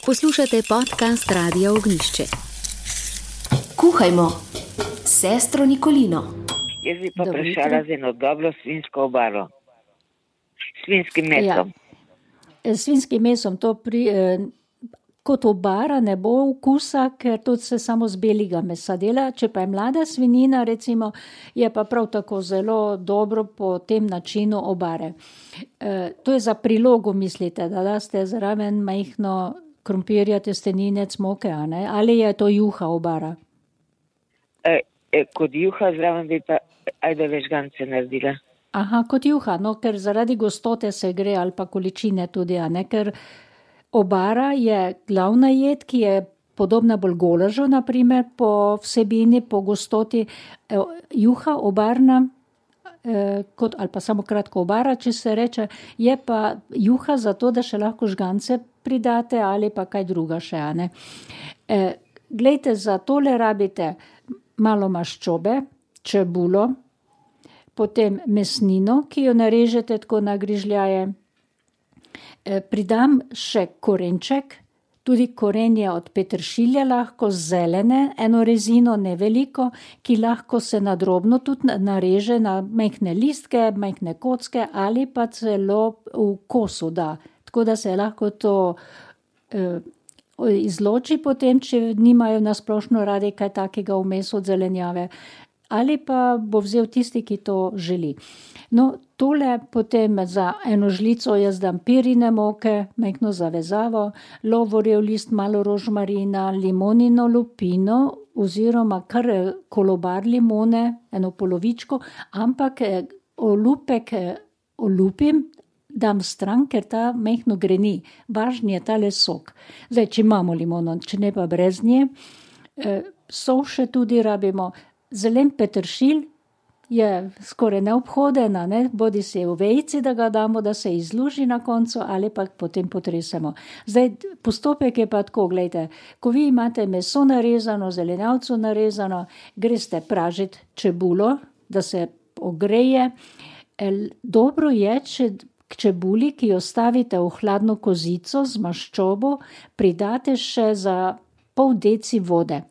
Poslušate podcast Radia Ognjišče. Kuhajmo, sestro Nikolino. Jaz bi pa vprašala za eno dobro svinjsko obaro. Svinjskim mesom. Ja. Svinjskim mesom to kot obara ne bo okusa, ker tudi se samo z belega mesa dela. Če pa je mlada svinjina, recimo, je pa prav tako zelo dobro po tem načinu obare. To je za prilogo, mislite, da daste zraven majhno krompirja, testenine, moke, ali je to juha obara? Kot juha zraven bi pa ajde vežgance naredila. Aha, kot juha, no, ker zaradi gostote se gre ali pa količine tudi, ker obara je glavna jed, ki je podobna bolj golažu, naprimer, po vsebini, po gostoti. Juha obarna, ali pa samo kratko obara, če se reče, je pa juha zato, da še lahko žgance pridate ali pa kaj druga še. Glejte, za tole rabite malo maščobe, čebulo, potem mesnino, ki jo narežete tako na grižljaje. Pridam še korenček, tudi korenje od peteršilja lahko zelene, eno rezino neveliko, ki lahko se nadrobno tudi nareže na majhne listke, majhne kocke ali pa celo v kosu da. Tako da se lahko to izloči potem, če nimajo nasplošno radi kaj takega vmes od zelenjave. Ali pa bo vzel tisti, ki to želi. No, tole potem za eno žlico jaz dam pirine moke, majhno zavezavo, lovorjev list, malo rožmarina, limonino lupino oziroma kar kolobar limone, eno polovičko, ampak olupek olupim, dam stran, ker ta majhno greni. Važni je tale sok. Zdaj, če imamo limono, če ne pa brez nje. Sol še tudi rabimo. Zelen peteršilj je skoraj neobhoden, bodi se v vejici, da ga damo, da se izluži na koncu ali pa potem potresemo. Zdaj, postopek je pa tako, gledajte, ko vi imate meso narezano, zelenjavco narezano, greste pražiti čebulo, da se ogreje. Dobro je, če k čebuli, ki jo stavite v hladno kozico z maščobo, pridate še za pol deci vode.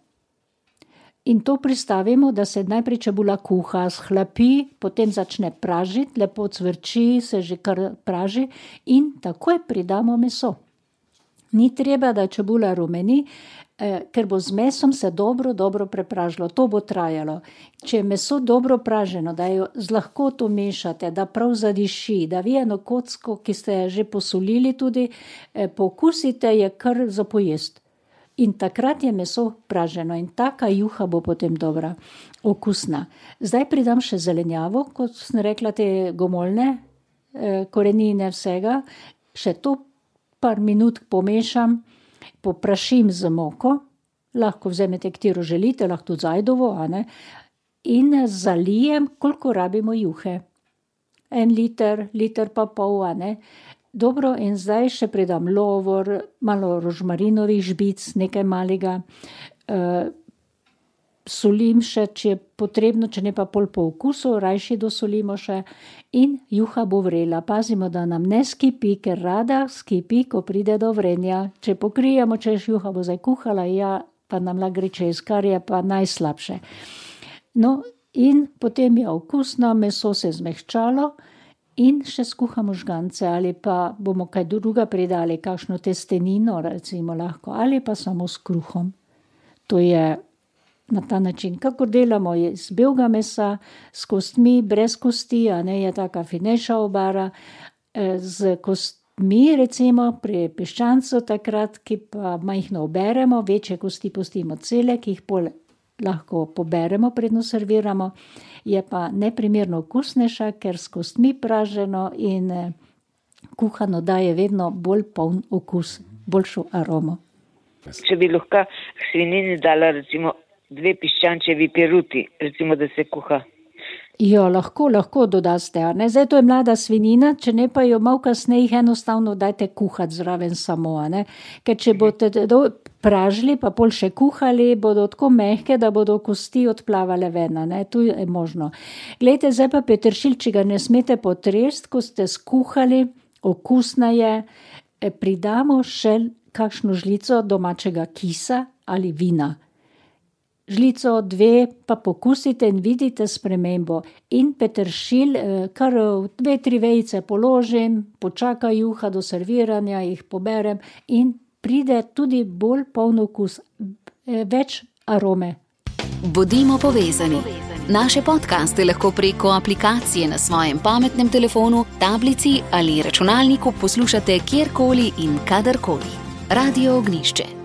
In to pristavimo, da se najprej čebula kuha, shlapi, potem začne pražiti, lepo cvrči, se že kar praži in takoj pridamo meso. Ni treba, da čebula rumeni, ker bo z mesom se dobro prepražilo. To bo trajalo. Če je meso dobro praženo, da jo z lahkoto mešate, da prav zadiši, da vi eno kocko, ki ste že posolili tudi, pokusite, je kar za pojest. In takrat je meso praženo in taka juha bo potem dobra, okusna. Zdaj pridam še zelenjavo, kot sem rekla, te gomoljne, korenine vsega. Še to par minut pomešam, poprašim z moko, lahko vzemete, katero želite, lahko tudi zajdovo, in zalijem, koliko rabimo juhe. 1 liter pa pol, Dobro, in zdaj še pridam lovor, malo rožmarinovih žbic, nekaj malega. Solim še, če je potrebno, če ne pa pol po okusu, rajši dosolimo še in juha bo vrela. Pazimo, da nam ne skipi, ker rada skipi, ko pride do vrenja. Če pokrijemo, češ juha bo zdaj kuhala, pa nam lahko gre čez, kar je pa najslabše. No, in potem je okusno, meso se zmehčalo, in še skuhamo žgance ali pa bomo kaj druga pridali, kakšno testenino recimo lahko, ali pa samo s kruhom. To je na ta način, kako delamo iz belega mesa, s kostmi, brez kosti, je taka finejša obara, z kostmi recimo pri piščancu takrat, ki pa majhno oberemo, večje kosti pustimo cele, ki jih pol lahko poberemo, predno serviramo, je pa neprimerno okusnejša, ker s kostmi praženo in kuhano daje vedno bolj poln okus, boljšo aromo. Če bi lahko k svinjini dala recimo 2 piščančevi peruti, recimo, da se kuha. Jo, lahko dodaste, Zdaj to je mlada svinjina, če ne pa jo malo kasneje jih enostavno dajte kuhati zraven samo, Ker če boste pražili, pa pol še kuhali, bodo tako mehke, da bodo kosti odplavale ven, Tu je možno. Glejte, zdaj pa peteršilj, če ga ne smete potresti, ko ste skuhali, okusna je, pridamo še kakšno žlico domačega kisa ali vina. Žlico, 2 pa pokusite in vidite spremembo. In peteršilj, kar 2-3 vejice položim, počaka juha do serviranja, jih poberem in pride tudi bolj poln okus, več arome. Bodimo povezani. Naše podcaste lahko preko aplikacije na svojem pametnem telefonu, tablici ali računalniku poslušate kjerkoli in kadarkoli. Radio Ognjišče.